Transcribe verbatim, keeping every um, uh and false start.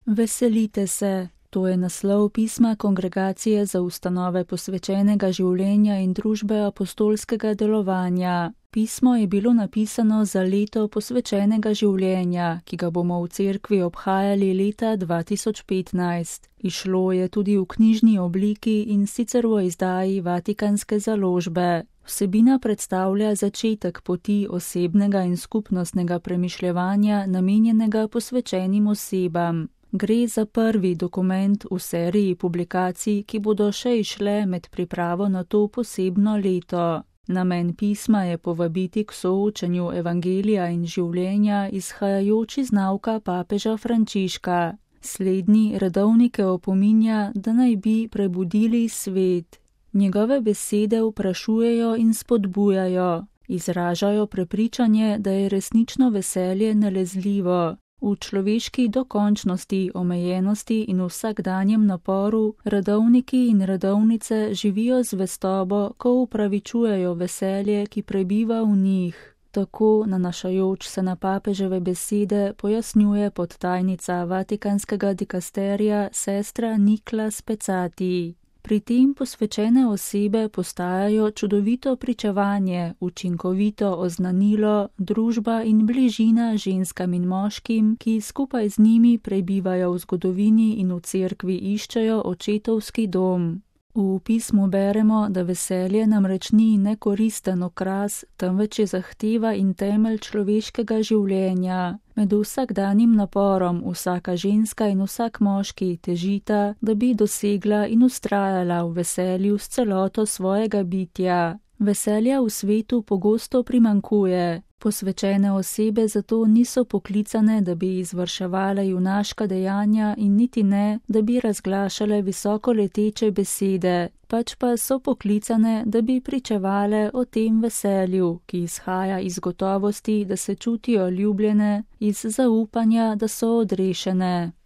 Veselite se, to je naslov pisma Kongregacije za ustanove posvečenega življenja in družbe apostolskega delovanja. Pismo je bilo napisano za leto posvečenega življenja, ki ga bomo v cerkvi obhajali leta dva tisoč petnajst. Izšlo je tudi v knjižni obliki in sicer v izdaji Vatikanske založbe. Vsebina predstavlja začetek poti osebnega in skupnostnega premišljevanja, namenjenega posvečenim osebam. Gre za prvi dokument v seriji publikacij, ki bodo še izšle med pripravo na to posebno leto. Namen pisma je povabiti k soočenju evangelija in življenja, izhajajoč iz nauka papeža Frančiška. Slednji redovnike opominja, da naj bi prebudili svet. Njegove besede vprašujejo in spodbujajo, izražajo prepričanje, da je resnično veselje nalezljivo. V človeški dokončnosti, omejenosti in vsakdanjem naporu redovniki in redovnice živijo zvestobo, ko upravičujejo veselje, ki prebiva v njih. Tako, nanašajoč se na papeževe besede, pojasnjuje podtajnica Vatikanskega dikasterija sestra Nikla Specati. Pri tem posvečene osebe postajajo čudovito pričevanje, učinkovito oznanilo, družba in bližina ženskam in moškim, ki skupaj z njimi prebivajo v zgodovini in v cerkvi iščejo očetovski dom. V pismu beremo, da veselje namreč ni nekoristen okras, temveč je zahteva in temelj človeškega življenja. Med vsakdanjim naporom vsaka ženska in vsak moški težita, da bi dosegla in ustrajala v veselju s celoto svojega bitja. Veselja v svetu pogosto primanjkuje. Posvečene osebe zato niso poklicane, da bi izvrševale junaška dejanja in niti ne, da bi razglašale visoko leteče besede, pač pa so poklicane, da bi pričevale o tem veselju, ki izhaja iz gotovosti, da se čutijo ljubljene, iz zaupanja, da so odrešene.